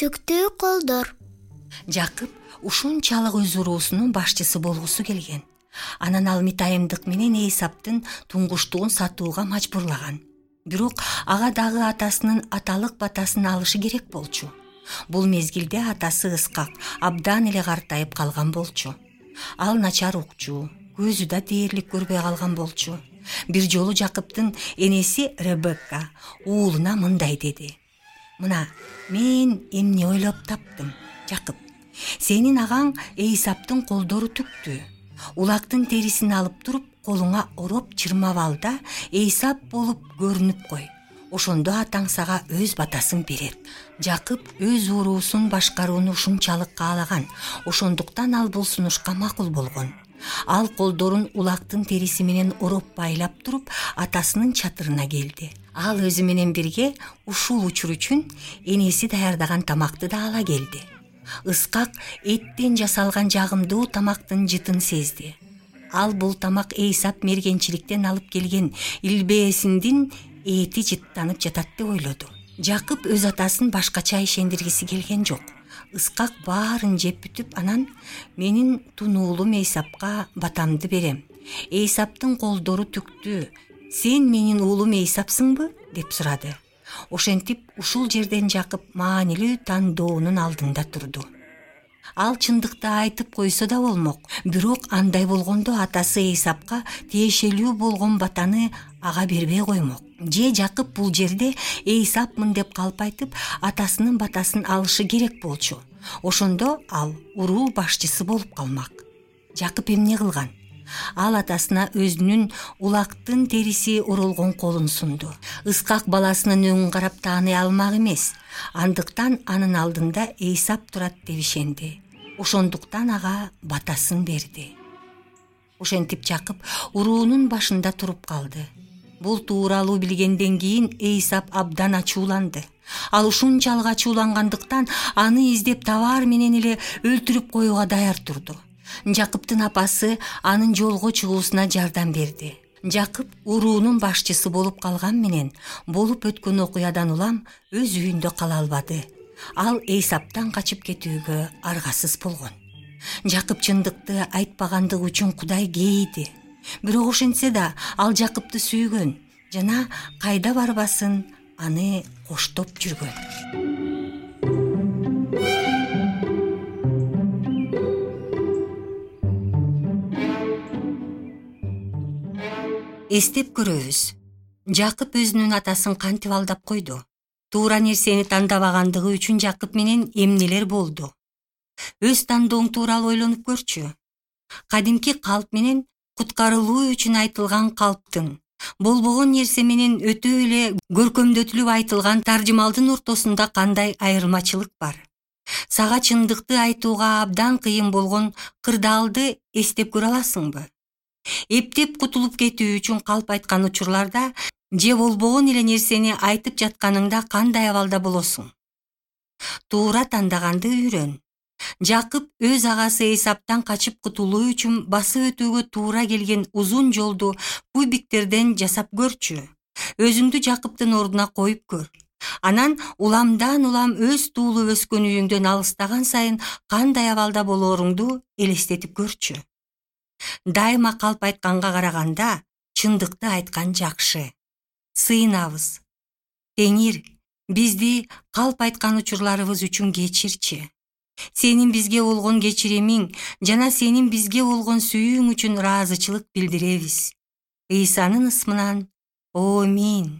түктүү колдор. Жакып ушунчалык өз уруусунун башчысы болгусу келген. Анан ал Митайымдык менен Эйсаптын туңгуштугун сатууга мажбурлаган. Бирок ага дагы атасынын аталык батасын алышы керек болчу. Бул мезгилде атасы Ыскак абдан эле картайып калган болчу. Ал начар укчу, көзү да дээрлик көрбөй калган болчу. Бир жолу Жакыптын энеси Ребекка уулуна мындай деди: "Мына, мен эмне ойлоп таптым, Жакып. Сенин агаң Эйсаптын колдору түктү. Улактын терисин алып туруп, колуңа ороп чырмап ал да Эйсап болуп көрүнүп кой. Ошондо атаң сага өз батасын берет." Жакып өз уруусун башкарууну ушунчалык каалаган. Ошондуктан ал бул сунушка макул болгон. Ал колдорун улактын териси менен ороп байлап туруп, атасынын чатырына келди. Ал өзү менен бирге ушул учур үчүн энеси даярдаган тамакты да ала келди. Ыскак эттен жасалган жагымдуу тамактын жытын сезди. Ал бул тамак Эйсап мергенчиликтен алып келген илбээсиндин эти жыттанып жатат деп ойлоду. Жакып өз атасын башкача ишендиргиси келген жок. Ыскак баарын жеп бүтүп, анан "Менин тунуулум Эйсапка батамды берем. Эйсаптын колдору түктү. Сен менин уулум Эйсапсыңбы?" деп сурады. Ошентип ушул жерден Жакып маанилүү тандоонун алдында турду. Ал чындыкты айтып койсо да болмок. Бирок андай болгондо атасы Эйсапка тиешелүү болгон батаны ага бербей коймок. Же Жакып бул жерде Эйсапмын деп калп айтып, атасынын батасын алышы керек болчу. Ошондо ал уруу башчысы болуп калмак. Жакып эмне кылган? Ал атасына өзүнүн улактын териси оролгон колун сунду. Ыскак баласынын өңүн карап тааный алмак эмес. Андыктан анын алдында Эйсап турат деп ишенди. Ошондуктан ага батасын берди. Ошентип Жакып уруунун башында туруп калды. Бул тууралуу билгенден кийин Эйсап абдан ачууланды. Ал ушунчалык ачуулангандыктан аны издеп табаар менен эле өлтүрүп коюуга даяр турду. Жакыптын апасы анын жолго чыгуусуна жардам берди. Жакып уруунун башчысы болуп калган менен болуп өткөн окуядан улам өз үйүндө кала албады. Ал Эйсаптан качып кетүүгө аргасыз болгон. Жакып чындыкты айтпагандыгы үчүн Кудай кейиди. Бирок ошентсе да ал Жакыпты сүйгөн жана кайда барбасын аны коштоп жүргөн. Эстеп көрөбүз. Жакып өзүнүн атасын кантип алдап койду. Туура нерсени тандабагандыгы үчүн Жакып менен эмнелер болду? Өз тандооң тууралуу ойлонуп көрчү. Кадимки калп менен куткарылуу үчүн айтылган калптын, болбогон нерсе менен өтө эле көркөмдөтүлүп айтылган таржымалдын ортосунда кандай айырмачылык бар? Сага чындыкты айтууга абдан кыйын болгон кырдаалды эстеп көрө аласыңбы? Эптеп кутулуп кетүү үчүн калп айткан учурларда же болбогон эле нерсени айтып жатканыңда кандай абалда болосуң? Туура тандаганды үйрөн. Жакып өз агасы Эйсаптан качып кутулуу үчүн басып өтүүгө туура келген узун жолду кубиктерден жасап көрчү. Өзүңдү Жакыптын ордуна коюп көр. Анан уламдан улам өз туулуп өскөн үйүңдөн алыстаган сайын кандай абалда болооруңду элестетип көрчү. Дайыма калп айтканга караганда чындыкты айткан жакшы. Сыйынабыз. Теңир, бизди калп айткан учурларыбыз үчүн кечирчи. Сенин бизге болгон кечиримиң жана сенин бизге болгон сүйүүң үчүн ыраазычылык билдиребиз. Ыйсанын ысмынан. Амин.